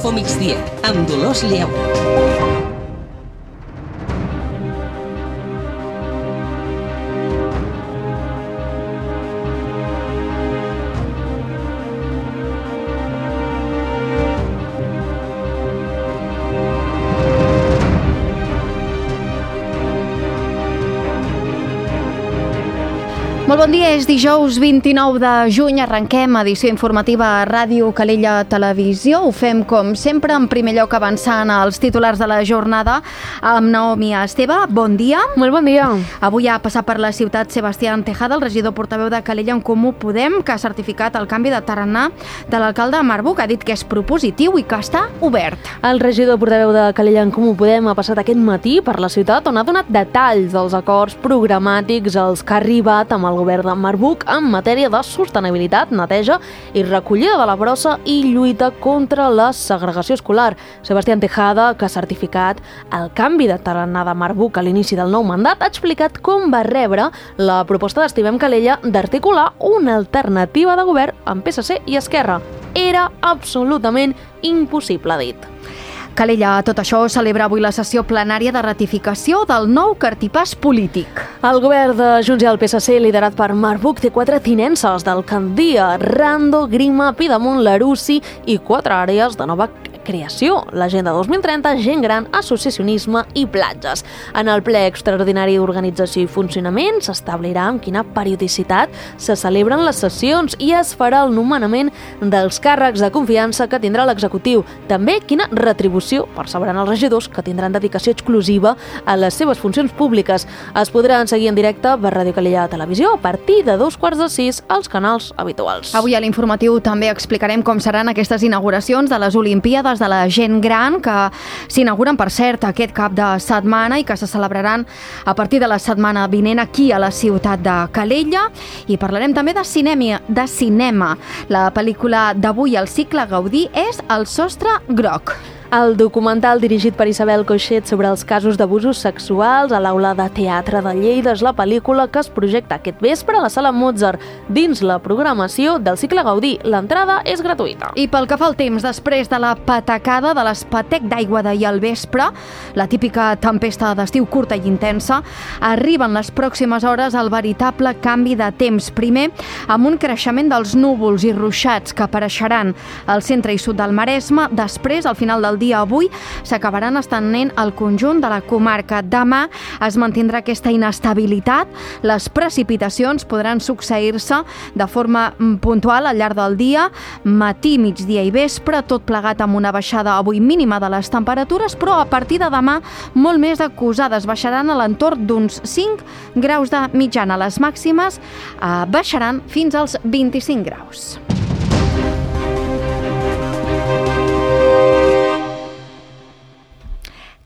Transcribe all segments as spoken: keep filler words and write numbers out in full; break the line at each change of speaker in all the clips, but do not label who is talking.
Info Migdia, amb Dolors Lleó.
Molt bon dia, és dijous vint-i-nou de juny, arrenquem edició informativa a Ràdio Calella Televisió. Ho fem, com sempre, en primer lloc avançant als titulars de la jornada amb Naomi Esteve. Bon dia.
Molt bon dia.
Avui ha passat per la ciutat Sebastián Tejada, el regidor portaveu de Calella en Comú Podem, que ha certificat el canvi de tarannà de l'alcalde Marc Buch. Ha dit que és propositiu i que està obert.
El regidor portaveu de Calella en Comú Podem ha passat aquest matí per la ciutat, on ha donat detalls dels acords programàtics als que ha arribat amb el govern de Marc Buch en matèria de sostenibilitat, neteja i recollida de la brossa i lluita contra la segregació escolar. Sebastián Tejada, que ha certificat el canvi de tarannà de Marc Buch a l'inici del nou mandat, ha explicat com va rebre la proposta d'Estimem Calella d'articular una alternativa de govern amb P S C i Esquerra. Era absolutament impossible, ha dit.
Calella, tot això, celebra avui la sessió plenària de ratificació del nou cartipàs polític.
El govern de Junts i el P S C, liderat per Marc Buch, té quatre tinences d'alcaldia: Rando, Grima, Pidemunt, Larussi i quatre àrees de nova creació: l'Agenda dos mil trenta, Gent Gran, Associacionisme i Platges. En el ple extraordinari d'organització i funcionament s'establirà amb quina periodicitat se celebren les sessions i es farà el nomenament dels càrrecs de confiança que tindrà l'executiu. També quina retribució percebran els regidors, que tindran dedicació exclusiva a les seves funcions públiques. Es podran seguir en directe per Ràdio Calella Televisió a partir de dos quarts de sis als canals habituals.
Avui a l'informatiu també explicarem com seran aquestes inauguracions de les Olimpíades de la Gent Gran, que s'inauguren, per cert, aquest cap de setmana i que se celebraran a partir de la setmana vinent aquí a la ciutat de Calella. I parlarem també de cinema. De cinema. La pel·lícula d'avui al cicle Gaudí és El sostre groc.
El documental dirigit per Isabel Coixet sobre els casos d'abusos sexuals a l'Aula de Teatre de Lleida és la pel·lícula que es projecta aquest vespre a la Sala Mozart dins la programació del cicle Gaudí. L'entrada és gratuïta.
I pel que fa al temps, després de la patacada de l'espatec d'aigua d'ahir al vespre, la típica tempesta d'estiu curta i intensa, arriben les pròximes hores el veritable canvi de temps. Primer, amb un creixement dels núvols i ruixats que apareixeran al centre i sud del Maresme. Després, al final del dia avui, s'acabaran estenent al conjunt de la comarca. Demà es mantindrà aquesta inestabilitat. Les precipitacions podran succeir-se de forma puntual al llarg del dia, matí, migdia i vespre, tot plegat amb una baixada avui mínima de les temperatures, però a partir de demà molt més acusades. Baixaran a l'entorn d'uns cinc graus de mitjana. Les màximes eh, baixaran fins als vint-i-cinc graus.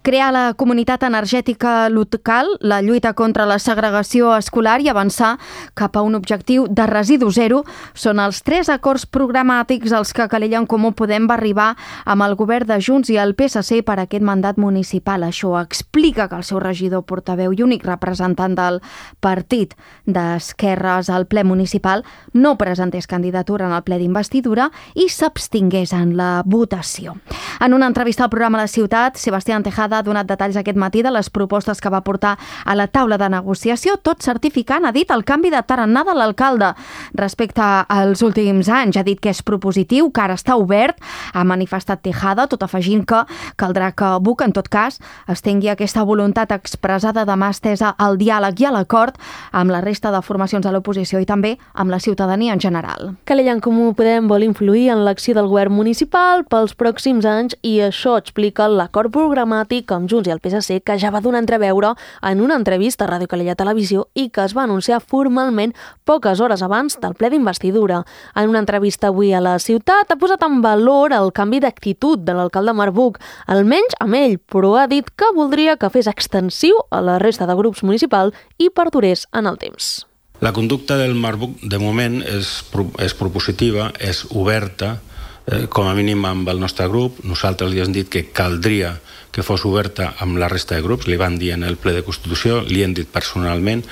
Crear la comunitat energètica local, la lluita contra la segregació escolar i avançar cap a un objectiu de residu zero són els tres acords programàtics als que Calella en Comú Podem va arribar amb el govern de Junts i el P S C per aquest mandat municipal. Això explica que el seu regidor portaveu i únic representant del partit d'esquerres al ple municipal no presentés candidatura en el ple d'investidura i s'abstingués en la votació. En una entrevista al programa La Ciutat, Sebastián Tejada ha donat detalls aquest matí de les propostes que va portar a la taula de negociació, tot certificant, ha dit, el canvi de tarannà de l'alcalde respecte als últims anys. Ha dit que és propositiu, que ara està obert, ha manifestat Tejada, tot afegint que caldrà que Buch, en tot cas, estengui aquesta voluntat expressada de mà estesa al diàleg i a l'acord amb la resta de formacions de l'oposició i també amb la ciutadania en general.
Calella en Comú Podem vol influir en l'acció del govern municipal pels pròxims anys i això explica l'acord programàtic amb Junts i el P S C, que ja va donar a entreveure en una entrevista a Ràdio Calella Televisió i que es va anunciar formalment poques hores abans del ple d'investidura. En una entrevista avui a la ciutat ha posat en valor el canvi d'actitud de l'alcalde Marc Buch, almenys amb ell, però ha dit que voldria que fes extensiu a la resta de grups municipals i perdurés en el temps.
La conducta del Marc Buch, de moment, és, és propositiva, és oberta, eh, com a mínim amb el nostre grup. Nosaltres li hem dit que caldria que fos oberta amb la resta de grups, li van dir en el ple de Constitució, li hem dit personalment,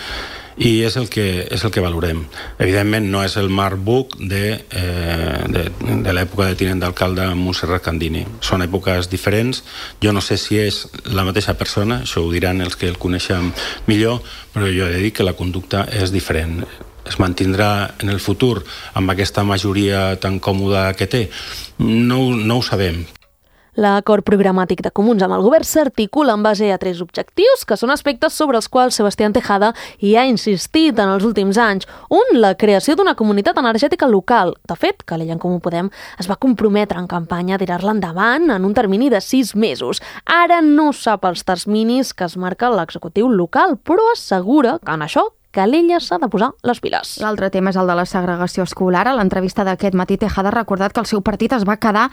i és el que, és el que valorem. Evidentment no és el Marburg de, eh, de, de l'època de tinent d'alcalde Montserrat Candini. Són èpoques diferents. Jo no sé si és la mateixa persona, això ho diran els que el coneixen millor, però jo he de dir que la conducta és diferent. Es mantindrà en el futur amb aquesta majoria tan còmoda que té? No, no ho sabem.
L'acord programàtic de Comuns amb el govern s'articula en base a tres objectius, que són aspectes sobre els quals Sebastián Tejada hi ha insistit en els últims anys. Un, la creació d'una comunitat energètica local. De fet, Calella en Comú Podem es va comprometre en campanya a tirar-la endavant en un termini de sis mesos. Ara no sap els terminis que es marca l'executiu local, però assegura que en això Calella s'ha de posar les piles.
L'altre tema és el de la segregació escolar. A l'entrevista d'aquest matí, Tejada ha recordat que el seu partit es va quedar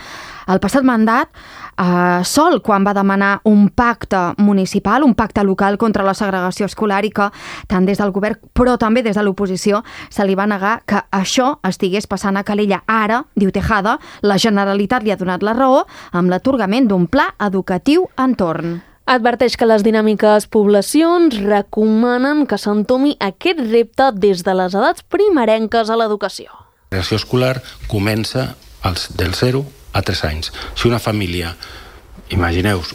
el passat mandat eh, sol quan va demanar un pacte municipal, un pacte local contra la segregació escolar, i que tant des del govern però també des de l'oposició se li va negar que això estigués passant a Calella. Ara, diu Tejada, la Generalitat li ha donat la raó amb l'atorgament d'un pla educatiu entorn.
Adverteix que les dinàmiques poblacions recomanen que s'entomi aquest repte des de les edats primerenques a l'educació.
La segregació escolar comença als, del zero a tres anys. Si una família, imagineu-vos,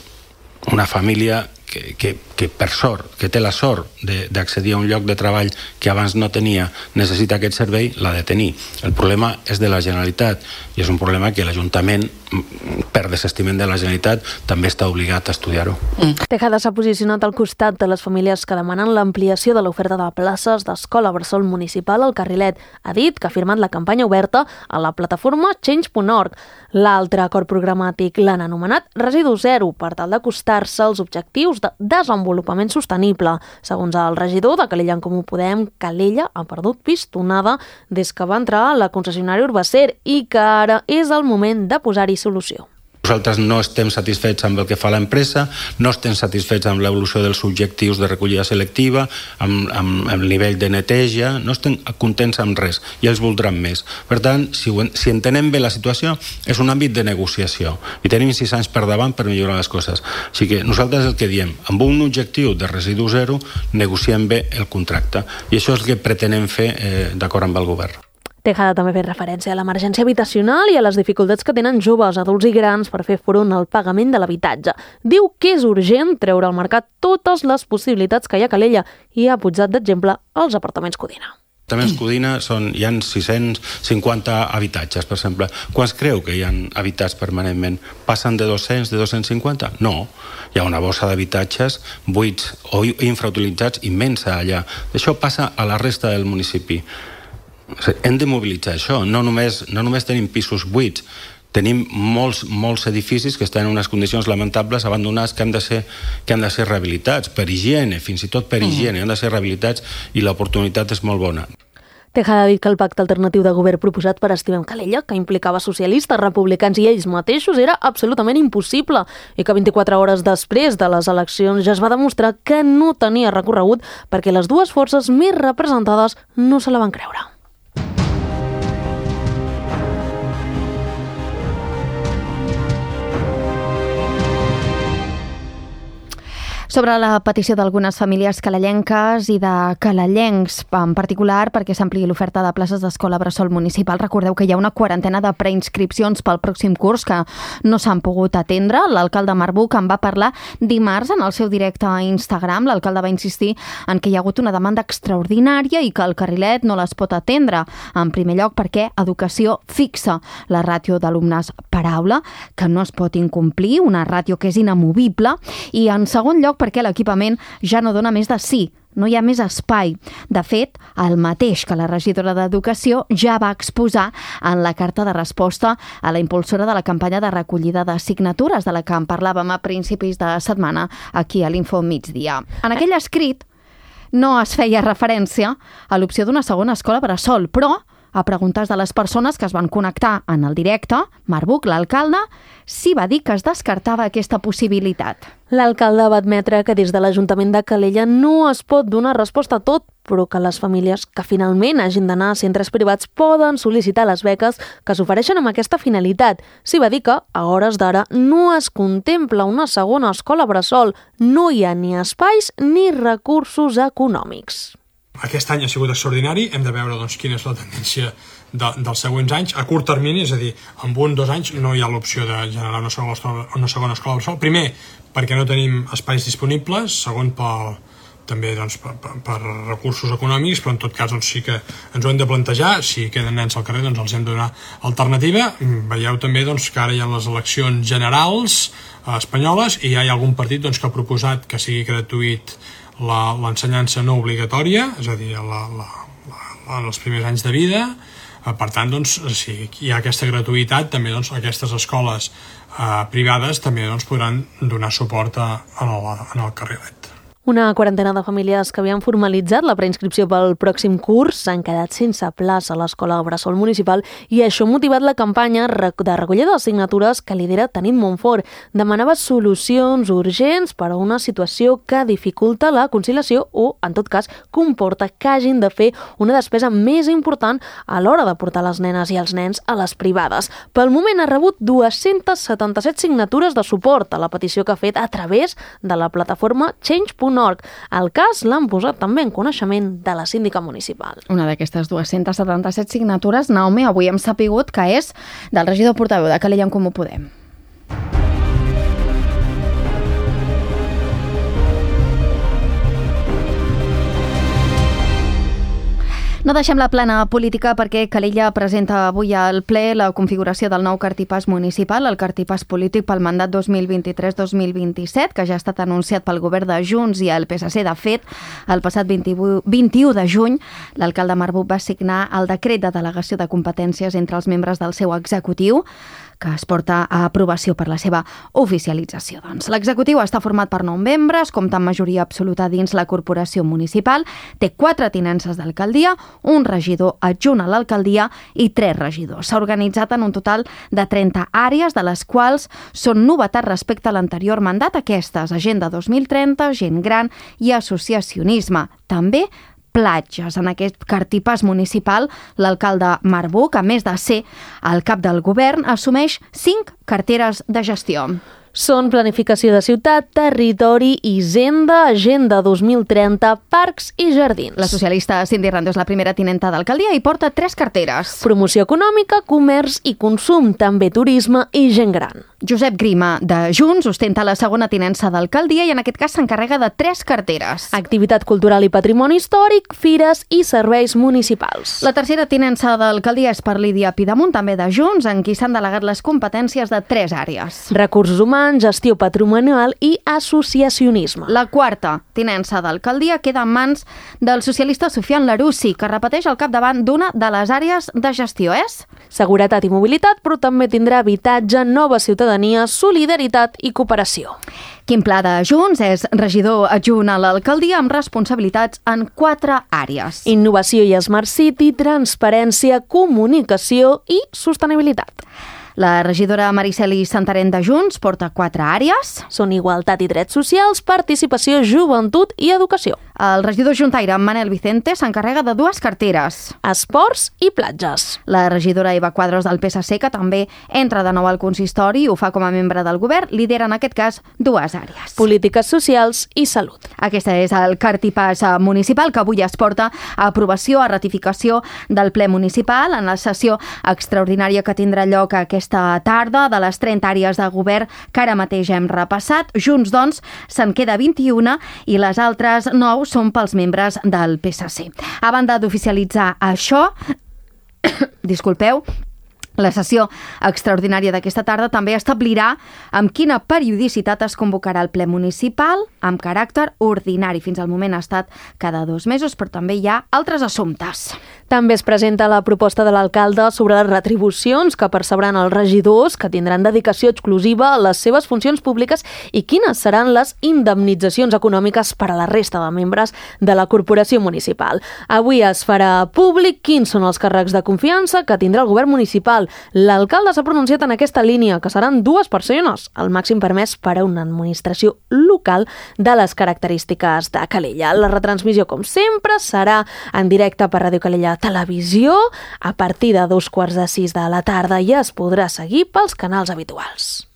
una família que, que, que per sort, que té la sort d'accedir a un lloc de treball que abans no tenia, necessita aquest servei, l'ha de tenir. El problema és de la Generalitat i és un problema que l'Ajuntament, per desestiment de la Generalitat, també està obligat a estudiar-ho.
Mm. Tejada s'ha posicionat al costat de les famílies que demanen l'ampliació de l'oferta de places d'escola bressol municipal al Carrilet. Ha dit que ha firmat la campanya oberta a la plataforma change punt org. L'altre acord programàtic l'han anomenat Residu Zero per tal d'acostar-se als objectius de desenvolupament sostenible. Segons el regidor de Calella en Comú Podem, Calella ha perdut pistonada des que va entrar a la concessionària Urbacer i que ara és el moment de posar-hi solució.
Nosaltres no estem satisfets amb el que fa l'empresa, no estem satisfets amb l'evolució dels objectius de recollida selectiva, amb, amb, amb el nivell de neteja, no estem contents amb res i els voldran més. Per tant, si, ho, si entenem bé la situació, és un àmbit de negociació i tenim sis anys per davant per millorar les coses. Així que nosaltres el que diem, amb un objectiu de residu zero, negociem bé el contracte i això és el que pretenem fer eh, d'acord amb el govern.
Tejada també ha fet referència a l'emergència habitacional i a les dificultats que tenen joves, adults i grans per fer front al pagament de l'habitatge. Diu que és urgent treure al mercat totes les possibilitats que hi ha a Calella i ha posat d'exemple els apartaments Codina.
Els apartaments Codina són, hi ha sis-cents cinquanta habitatges, per exemple. Quants creu que hi ha habitats permanentment? Passen de dos-cents, de dos-cents cinquanta? No. Hi ha una bossa d'habitatges buits o infrautilitzats immensa allà. Això passa a la resta del municipi. Hem de mobilitzar això, no només, no només tenim pisos buits, tenim molts, molts edificis que estan en unes condicions lamentables, abandonats, que han de ser, que han de ser rehabilitats, per higiene, fins i tot per higiene, han de ser rehabilitats i l'oportunitat és molt bona.
Tejada ha dit que el pacte alternatiu de govern proposat per Estimem Calella, que implicava socialistes, republicans i ells mateixos, era absolutament impossible i que vint-i-quatre hores després de les eleccions ja es va demostrar que no tenia recorregut perquè les dues forces més representades no se la van creure.
Sobre la petició d'algunes famílies calellenques i de calellencs, en particular perquè s'ampliï l'oferta de places d'escola bressol municipal. Recordeu que hi ha una quarantena de preinscripcions pel pròxim curs que no s'han pogut atendre. L'alcalde Marbuc en va parlar dimarts en el seu directe a Instagram. L'alcalde va insistir en que hi ha hagut una demanda extraordinària i que el Carrilet no les pot atendre. En primer lloc perquè Educació fixa la ràtio d'alumnes per aula, que no es pot incomplir, una ràtio que és inamovible, i en segon lloc perquè l'equipament ja no dona més de sí, no hi ha més espai. De fet, el mateix que la regidora d'Educació ja va exposar en la carta de resposta a la impulsora de la campanya de recollida de signatures de la que en parlàvem a principis de setmana aquí a l'Info Migdia. En aquell escrit no es feia referència a l'opció d'una segona escola bressol, però a preguntes de les persones que es van connectar en el directe, Marbuc, l'alcalde, sí va dir que es descartava aquesta possibilitat.
L'alcalde va admetre que des de l'Ajuntament de Calella no es pot donar resposta a tot, però que les famílies que finalment hagin d'anar a centres privats poden sol·licitar les beques que s'ofereixen amb aquesta finalitat. Sí va dir que, a hores d'ara, no es contempla una segona escola bressol, no hi ha ni espais ni recursos econòmics.
Aquest any ha sigut extraordinari, hem de veure doncs, quina és la tendència de, dels següents anys. A curt termini, és a dir, en un o dos anys no hi ha l'opció de generar una segona escola, una segona escola bressol. Primer, perquè no tenim espais disponibles, segon, per, també doncs, per, per, per recursos econòmics, però en tot cas doncs, sí que ens ho hem de plantejar. Si queden nens al carrer, doncs els hem de donar alternativa. Veieu també doncs, que ara hi ha les eleccions generals eh, espanyoles i ja hi ha algun partit doncs, que ha proposat que sigui gratuït l'ensenyança no obligatòria, és a dir, la, la, la, en els primers anys de vida. Per tant, doncs, si hi ha aquesta gratuïtat, també doncs, aquestes escoles eh, privades també doncs, podran donar suport a, a el, en el carrilet.
Una quarantena de famílies que havien formalitzat la preinscripció pel pròxim curs s'han quedat sense plaça a l'escola bressol municipal i això ha motivat la campanya de recollida de signatures que lidera Tanit Montfort. Demanava solucions urgents per a una situació que dificulta la conciliació o, en tot cas, comporta que hagin de fer una despesa més important a l'hora de portar les nenes i els nens a les privades. Pel moment ha rebut dues-centes setanta-set signatures de suport a la petició que ha fet a través de la plataforma change punt org. El cas l'han posat també en coneixement de la síndica municipal.
Una d'aquestes dues-centes setanta-set signatures, Naomi, avui hem sapigut que és del regidor portaveu de Calella en Comú Podem. No deixem la plana política perquè Calella presenta avui al ple la configuració del nou cartipàs municipal, el cartipàs polític pel mandat dos mil vint-i-tres dos mil vint-i-set, que ja ha estat anunciat pel govern de Junts i el P S C. De fet, el passat vint-i-u de juny, l'alcalde Marbuc va signar el decret de delegació de competències entre els membres del seu executiu, que es porta a aprovació per la seva oficialització. Doncs. L'executiu està format per nou membres, compta amb majoria absoluta dins la corporació municipal, té quatre tinences d'alcaldia, un regidor adjunt a l'alcaldia i tres regidors. S'ha organitzat en un total de trenta àrees, de les quals són novetats respecte a l'anterior mandat, aquestes: Agenda dos mil trenta, Gent Gran i Associacionisme. També platges. En aquest cartipàs municipal, l'alcalde Marbuc, a més de ser el cap del govern, assumeix cinc carteres de gestió.
Són planificació de ciutat, territori, hisenda, agenda dos mil trenta, parcs i jardins.
La socialista Cindy Rando és la primera tinenta d'alcaldia i porta tres carteres.
Promoció econòmica, comerç i consum, també turisme i gent gran.
Josep Grima, de Junts, ostenta la segona tinença d'alcaldia i en aquest cas s'encarrega de tres carteres.
Activitat cultural i patrimoni històric, fires i serveis municipals.
La tercera tinença d'alcaldia és per Lídia Pidamunt, també de Junts, en qui s'han delegat les competències de tres àrees.
Recursos humans, gestió patrimonial i associacionisme.
La quarta tinença d'alcaldia queda en mans del socialista Sofian Larussi, que repeteix al capdavant d'una de les àrees de gestió, és?
Seguretat i mobilitat, però també tindrà habitatge, nova ciutadania, solidaritat i cooperació.
Quim Pla de Junts és regidor adjunt a l'alcaldia amb responsabilitats en quatre àrees.
Innovació i Smart City, transparència, comunicació i sostenibilitat.
La regidora Mariceli Santarén de Junts porta quatre àrees.
Són igualtat i drets socials, participació, joventut i educació.
El regidor juntaire Manel Vicente s'encarrega de dues carteres.
Esports i platges.
La regidora Eva Quadros del P S C, que també entra de nou al consistori i ho fa com a membre del govern, lidera en aquest cas dues àrees.
Polítiques socials i salut.
Aquesta és el cartipàs municipal que avui es porta a aprovació, a ratificació del ple municipal en la sessió extraordinària que tindrà lloc aquesta tarda de les trenta àrees de govern que ara mateix hem repassat. Junts, doncs, se'n queda vint-i-una i les altres nou són pels membres del P S C. A banda d'oficialitzar això, disculpeu, la sessió extraordinària d'aquesta tarda també establirà amb quina periodicitat es convocarà el ple municipal amb caràcter ordinari. Fins al moment ha estat cada dos mesos, però també hi ha altres assumptes.
També es presenta la proposta de l'alcalde sobre les retribucions que percebran els regidors, que tindran dedicació exclusiva a les seves funcions públiques, i quines seran les indemnitzacions econòmiques per a la resta de membres de la corporació municipal. Avui es farà públic quins són els càrrecs de confiança que tindrà el govern municipal. L'alcalde s'ha pronunciat en aquesta línia, que seran dues persones, el màxim permès per a una administració local de les característiques de Calella. La retransmissió, com sempre, serà en directe per Ràdio Calella Televisió a partir de dos quarts de sis de la tarda i es podrà seguir pels canals habituals.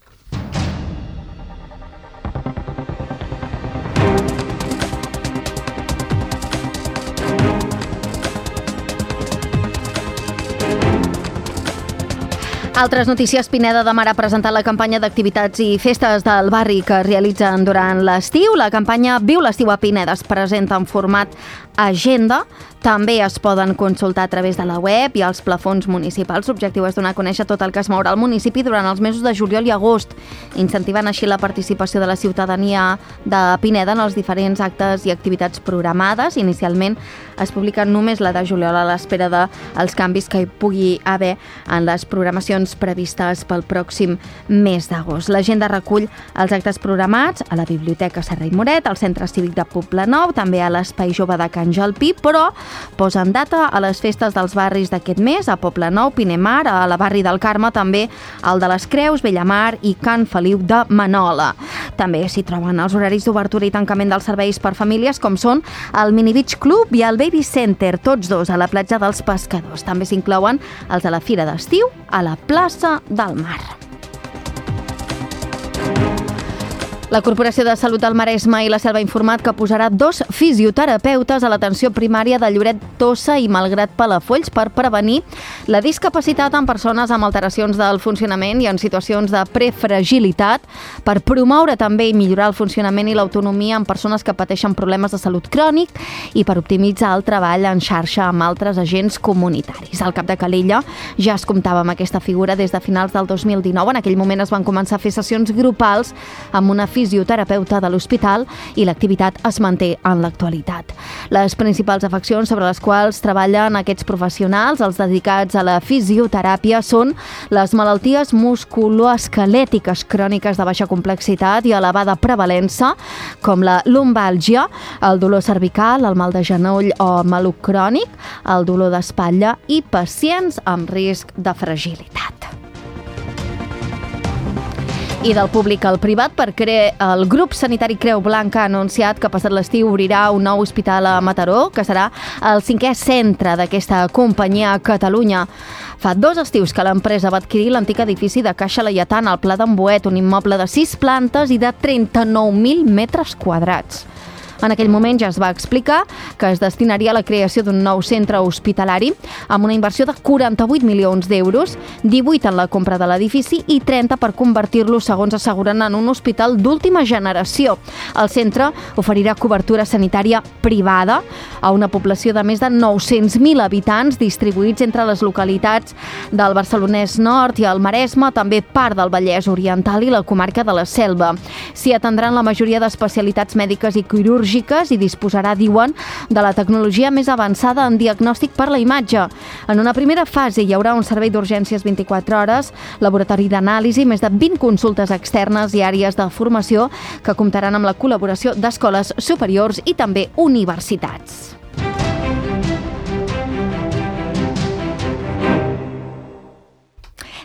Altres notícies. Pineda de Mar ha presentat la campanya d'activitats i festes del barri que es realitzen durant l'estiu. La campanya Viu l'estiu a Pineda es presenta en format agenda. També es poden consultar a través de la web i els plafons municipals. L'objectiu és donar a conèixer tot el que es mourà al municipi durant els mesos de juliol i agost, incentivant així la participació de la ciutadania de Pineda en els diferents actes i activitats programades. Inicialment es publiquen només la de juliol a l'espera dels canvis que hi pugui haver en les programacions previstes pel pròxim mes d'agost. L'agenda recull els actes programats a la Biblioteca Serra i Moret, al Centre Cívic de Poblenou, també a l'Espai Jove de Can Jalpí, però posen data a les festes dels barris d'aquest mes, a Poblenou, Pinamar, a la barri del Carme, també al de les Creus, Bellamar i Can Feliu de Manola. També s'hi troben els horaris d'obertura i tancament dels serveis per famílies, com són el Mini Beach Club i el Baby Center, tots dos a la platja dels Pescadors. També s'inclouen els de la Fira d'Estiu a la plaça del Mar. La Corporació de Salut del Maresme i la Selva ha informat que posarà dos fisioterapeutes a l'atenció primària de Lloret, Tossa i Malgrat Palafolls per prevenir la discapacitat en persones amb alteracions del funcionament i en situacions de prefragilitat, per promoure també i millorar el funcionament i l'autonomia en persones que pateixen problemes de salut crònic i per optimitzar el treball en xarxa amb altres agents comunitaris. Al cap de Calella ja es comptava amb aquesta figura des de finals del dos mil dinou. En aquell moment es van començar a fer sessions grupals amb una fisioterapeuta de l'hospital i l'activitat es manté en l'actualitat. Les principals afeccions sobre les quals treballen aquests professionals, els dedicats a la fisioteràpia, són les malalties musculoesquelètiques cròniques de baixa complexitat i elevada prevalença, com la lumbàlgia, el dolor cervical, el mal de genoll o maluc crònic, el dolor d'espatlla i pacients amb risc de fragilitat. I del públic al privat, perquè el grup sanitari Creu Blanca ha anunciat que passat l'estiu obrirà un nou hospital a Mataró, que serà el cinquè centre d'aquesta companyia a Catalunya. Fa dos estius que l'empresa va adquirir l'antic edifici de Caixa Laietana al Pla d'en Boet, un immoble de sis plantes i de trenta-nou mil metres quadrats. En aquell moment ja es va explicar que es destinaria a la creació d'un nou centre hospitalari amb una inversió de quaranta-vuit milions d'euros, divuit en la compra de l'edifici i trenta per convertir-lo, segons asseguren, en un hospital d'última generació. El centre oferirà cobertura sanitària privada a una població de més de nou-cents mil habitants distribuïts entre les localitats del Barcelonès Nord i el Maresme, també part del Vallès Oriental i la comarca de la Selva. S'hi atendran la majoria d'especialitats mèdiques i quirúrgiques i disposarà, diuen, de la tecnologia més avançada en diagnòstic per la imatge. En una primera fase hi haurà un servei d'urgències vint-i-quatre hores, laboratori d'anàlisi, més de vint consultes externes i àrees de formació que comptaran amb la col·laboració d'escoles superiors i també universitats.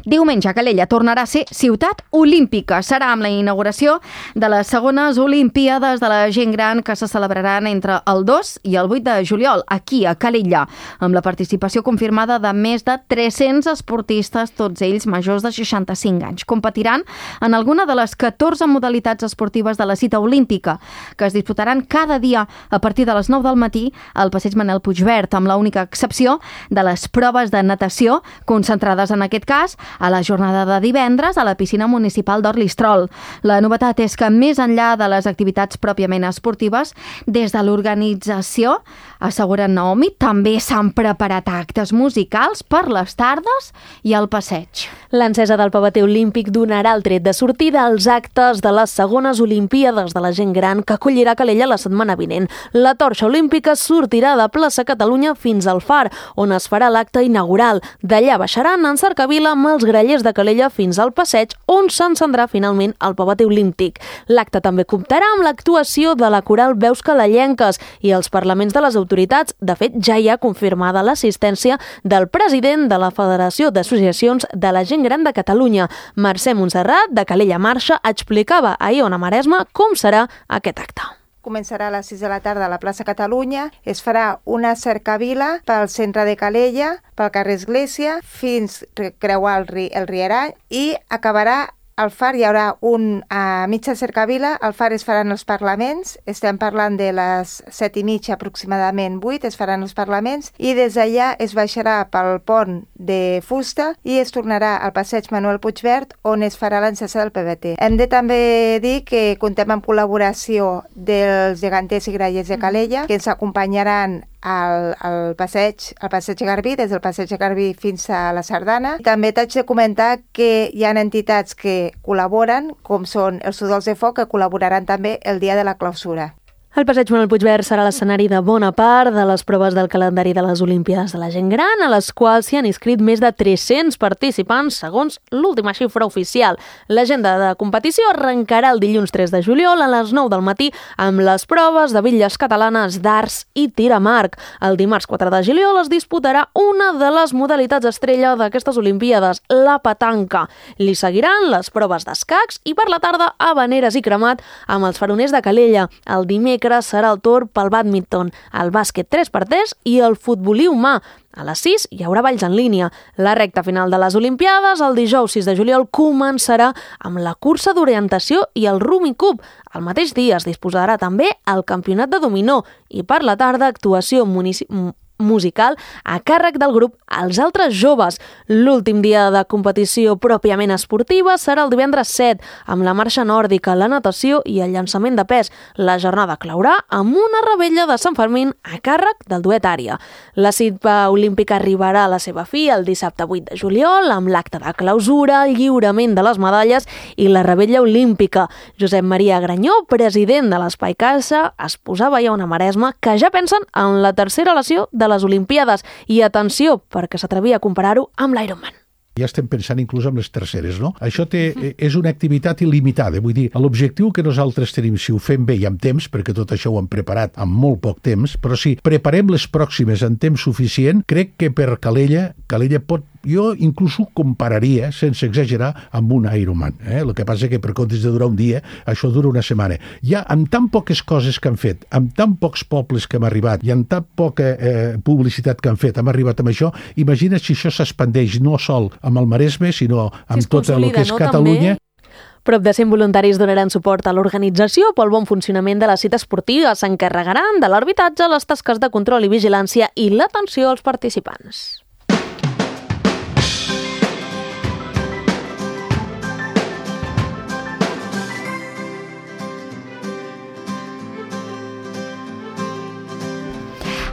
Diumenge, Calella tornarà a ser ciutat olímpica. Serà amb la inauguració de les segones Olimpíades de la gent gran que se celebraran entre el dos i el vuit de juliol, aquí a Calella, amb la participació confirmada de més de tres-cents esportistes, tots ells majors de seixanta-cinc anys. Competiran en alguna de les catorze modalitats esportives de la cita olímpica, que es disputaran cada dia a partir de les nou del matí al passeig Manel Puigverd, amb l'única excepció de les proves de natació, concentrades en aquest cas a la jornada de divendres a la piscina municipal d'Orlistrol. La novetat és que, més enllà de les activitats pròpiament esportives, des de l'organització, asseguren Naomi, també s'han preparat actes musicals per les tardes i el passeig.
L'encesa del pavete olímpic donarà el tret de sortida als actes de les segones Olimpíades de la gent gran que acollirà Calella la setmana vinent. La torxa olímpica sortirà de plaça Catalunya fins al Far, on es farà l'acte inaugural. D'allà baixaran en cercavila amb els grallers de Calella fins al passeig, on s'encendrà finalment el pavete olímpic. L'acte també comptarà amb l'actuació de la coral Veus Calellenques i els parlaments de les autoritats. De fet, ja hi ha confirmada l'assistència del president de la Federació d'Associacions de la Gent Gran de Catalunya. Mercè Montserrat, de Calella Marxa, explicava ahir a Ona Maresme com serà aquest acte.
Començarà a les sis de la tarda a la plaça Catalunya, es farà una cercavila pel centre de Calella, pel carrer Església, fins creuar el, ri, el Rierall i acabarà al Far hi haurà un a mitja cercavila, al Far es faran els parlaments, estem parlant de les set i mitja aproximadament, vuit, es faran els parlaments, i des d'allà es baixarà pel pont de fusta i es tornarà al passeig Manuel Puigverd, on es farà l'encesa del P V T. Hem de també dir que contem amb col·laboració dels geganters i grallers de Calella, que ens acompanyaran al, al passeig, al passeig Garbí, des del passeig Garbí fins a la Sardana. També t'haig de comentar que hi ha entitats que col·laboren, com són els Udols de Foc, que col·laboraran també el dia de la clausura.
El passeig Manuel Puigverd serà l'escenari de bona part de les proves del calendari de les Olimpíades de la Gent Gran, a les quals s'hi han inscrit més de tres-cents participants, segons l'última xifra oficial. L'agenda de competició arrencarà el dilluns tres de juliol a les nou del matí amb les proves de bitlles catalanes d'arts i tir amb arc. El dimarts quatre de juliol es disputarà una de les modalitats estrella d'aquestes Olimpíades, la petanca. Li seguiran les proves d'escacs i per la tarda habaneres i cremat amb els faroners de Calella. El dimecres serà el torn pel bàdminton, el bàsquet tres per tres i el futbolí humà. A les sis hi haurà balls en línia. La recta final de les Olimpiades, el dijous sis de juliol, començarà amb la cursa d'orientació i el Rumi Cup. El mateix dia es disposarà també el campionat de dominó i per la tarda actuació municipal musical a càrrec del grup Els Altres Joves. L'últim dia de competició pròpiament esportiva serà el divendres set, amb la marxa nòrdica, la natació i el llançament de pes. La jornada claurà amb una revetlla de Sant Fermín a càrrec del duet Ària. La cita olímpica arribarà a la seva fi el dissabte vuit de juliol amb l'acte de clausura, el lliurament de les medalles i la revetlla olímpica. Josep Maria Granyó, president de l'Espai Caixa, es posava ja una Maresma que ja pensen en la tercera lesió de les Olimpiades. I atenció, perquè s'atrevia a comparar-ho amb l'Ironman.
Ja estem pensant inclús en les terceres, no? Això té, és una activitat il·limitada, vull dir, l'objectiu que nosaltres tenim, si ho fem bé i amb temps, perquè tot això ho hem preparat amb molt poc temps, però si preparem les pròximes en temps suficient, crec que per Calella, Calella pot, jo inclús ho compararia, sense exagerar, amb un Ironman. Eh? El que passa que per comptes de durar un dia, això dura una setmana. Ja amb tan poques coses que han fet, amb tan pocs pobles que hem arribat i amb tan poca eh, publicitat que han fet, hem arribat amb això, imagina si això s'expandeix no sol amb el Maresme, sinó amb si tot el que és no, Catalunya.
També? Prop de cent voluntaris donaran suport a l'organització pel bon funcionament de la cita esportiva. S'encarregaran de l'arbitratge, les tasques de control i vigilància i l'atenció als participants.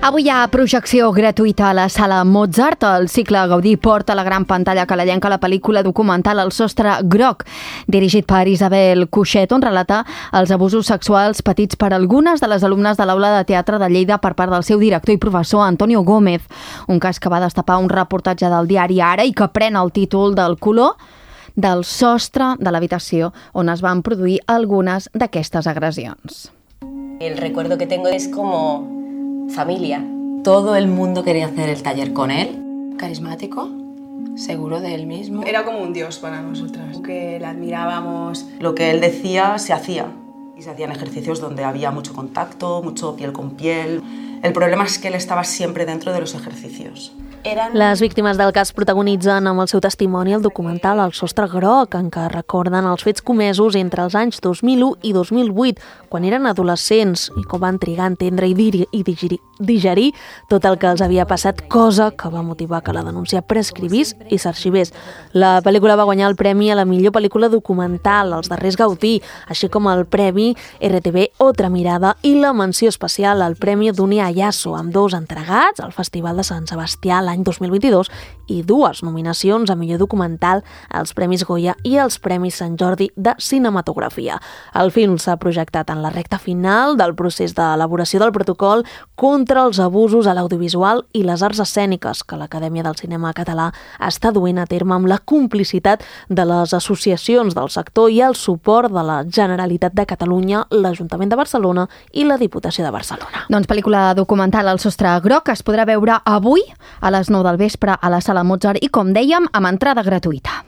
Avui hi ha projecció gratuïta a la Sala Mozart. El cicle Gaudí porta a la gran pantalla calalenca la pel·lícula documental El sostre groc, dirigit per Isabel Cuixet, on relata els abusos sexuals patits per algunes de les alumnes de l'Aula de Teatre de Lleida per part del seu director i professor Antonio Gómez, un cas que va destapar un reportatge del diari Ara i que pren el títol del color del sostre de l'habitació on es van produir algunes d'aquestes agressions.
El recuerdo que tengo es como familia. Todo el mundo quería hacer el taller con él. Carismático, seguro de él mismo.
Era como un dios para nosotras, que le admirábamos. Lo que él decía se hacía. Y se hacían ejercicios donde había mucho contacto, mucho piel con piel. El problema es que él estaba siempre dentro de los ejercicios.
Eren... Les víctimes del cas protagonitzen amb el seu testimoni el documental El sostre groc, en què recorden els fets comesos entre els anys dos mil u i dos mil vuit, quan eren adolescents, i com van trigar a entendre i, dir, i digerir, digerir tot el que els havia passat, cosa que va motivar que la denúncia prescrivís i s'arxivés. La pel·lícula va guanyar el premi a la millor pel·lícula documental, els darrers Gaudí, així com el premi R T V Otra Mirada i la menció especial al Premi Dunia Ayasso, amb dos entregats al Festival de Sant Sebastià l'any dos mil vint-i-dos i dues nominacions a millor documental als Premis Goya i als Premis Sant Jordi de Cinematografia. El film s'ha projectat en la recta final del procés d'elaboració del protocol contra els abusos a l'audiovisual i les arts escèniques que l'Acadèmia del Cinema Català està duent a terme amb la complicitat de les associacions del sector i el suport de la Generalitat de Catalunya, l'Ajuntament de Barcelona i la Diputació de Barcelona.
Doncs pel·lícula documental El sostre groc es podrà veure avui a les nou del vespre a la Sala Mozart i, com dèiem, amb entrada gratuïta.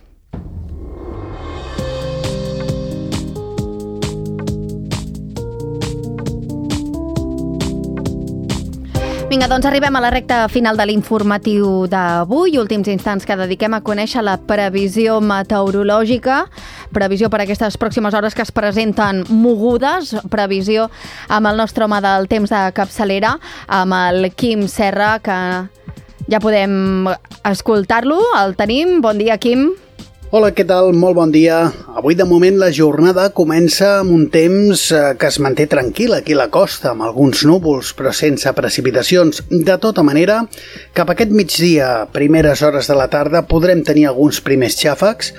Vinga, doncs arribem a la recta final de l'informatiu d'avui, últims instants que dediquem a conèixer la previsió meteorològica previsió per aquestes pròximes hores que es presenten mogudes, previsió amb el nostre home del temps de capçalera, amb el Quim Serra, que ja podem escoltar-lo, el tenim. Bon dia, Quim.
Hola, què tal? Molt bon dia. Avui, de moment, la jornada comença amb un temps que es manté tranquil aquí a la costa, amb alguns núvols, però sense precipitacions. De tota manera, cap a aquest migdia, primeres hores de la tarda, podrem tenir alguns primers xàfecs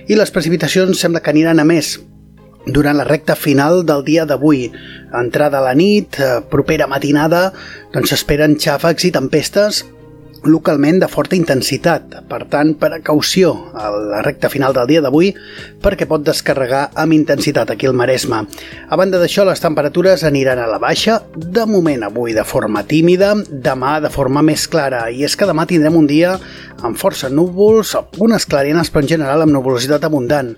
i les precipitacions sembla que aniran a més durant la recta final del dia d'avui. Entrada a la nit, propera matinada, doncs s'esperen xàfecs i tempestes localment de forta intensitat. Per tant, precaució a la recta final del dia d'avui perquè pot descarregar amb intensitat aquí al Maresme. A banda d'això, les temperatures aniran a la baixa, de moment avui de forma tímida, demà de forma més clara. I és que demà tindrem un dia amb força núvols, algunes clarianes, però en general amb nuvolositat abundant.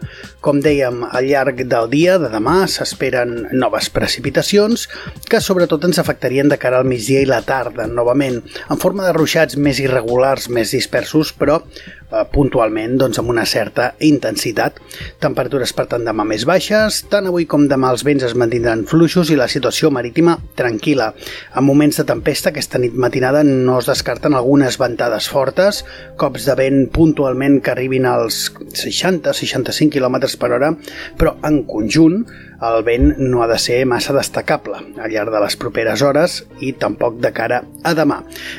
Com dèiem, al llarg del dia de demà s'esperen noves precipitacions que sobretot ens afectarien de cara al migdia i la tarda, novament, en forma de ruixats més irregulars, més dispersos, però eh, puntualment doncs, amb una certa intensitat. Temperatures, per tant, demà més baixes, tant avui com demà els vents es mantindran fluixos i la situació marítima tranquil·la. En moments de tempesta, aquesta nit matinada no es descarten algunes ventades fortes, cops de vent puntualment que arribin als seixanta a seixanta-cinc quilòmetres per hora, però en conjunt el vent no ha de ser massa destacable al llarg de les properes hores i tampoc de cara a demà.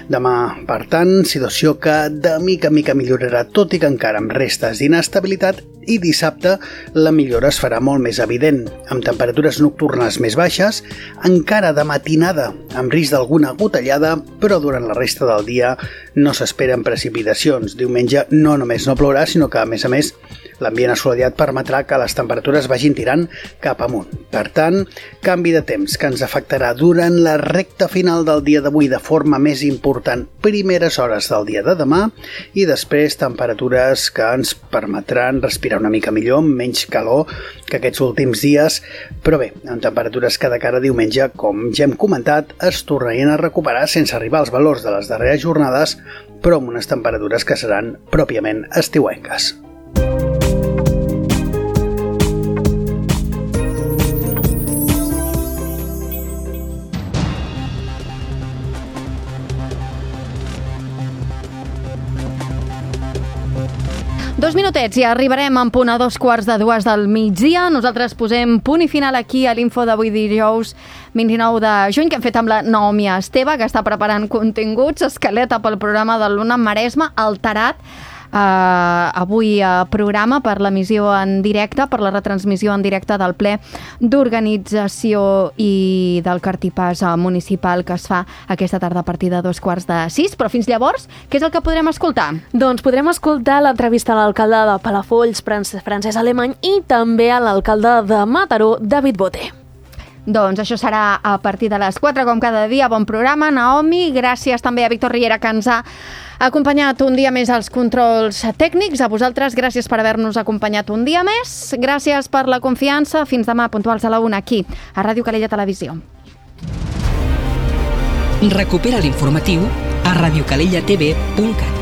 Demà, per tant, situació que de mica en mica millorarà, tot i que encara amb restes d'inestabilitat, i dissabte la millora es farà molt més evident, amb temperatures nocturnes més baixes, encara de matinada amb risc d'alguna gotellada, però durant la resta del dia no s'esperen precipitacions. Diumenge no només no plourà, sinó que, a més a més, l'ambient assolellat permetrà que les temperatures vagin tirant cap amunt. Per tant, canvi de temps que ens afectarà durant la recta final del dia d'avui de forma més important, primeres hores del dia de demà, i després temperatures que ens permetran respirar una mica millor, amb menys calor que aquests últims dies, però bé, amb temperatures que de cara a diumenge, com ja hem comentat, es tornarien a recuperar sense arribar als valors de les darreres jornades, però amb unes temperatures que seran pròpiament estiuenques.
Dos minutets i arribarem en punt a dos quarts de dues del migdia. Nosaltres posem punt i final aquí a l'Info d'avui dijous vint-i-nou de juny, que hem fet amb la Naomi Esteve, que està preparant continguts, escaleta pel programa de l'Una Maresme, alterat. Uh, avui uh, programa per l'emissió en directe, per la retransmissió en directe del ple d'organització i del cartipàs uh, municipal que es fa aquesta tarda a partir de dos quarts de sis, però fins llavors, què és el que podrem escoltar?
Doncs podrem escoltar l'entrevista a l'alcalde de Palafolls, Francesc Alemany, i també a l'alcalde de Mataró, David Boté.
Doncs això serà a partir de les quatre, com cada dia. Bon programa, Naomi. Gràcies també a Víctor Riera, que ens ha acompanyat un dia més als controls tècnics. A vosaltres, gràcies per haver-nos acompanyat un dia més. Gràcies per la confiança. Fins demà, puntuals a la una, aquí, a Ràdio Calella Televisió.
Recupera l'informatiu a radiocalellatv punt cat.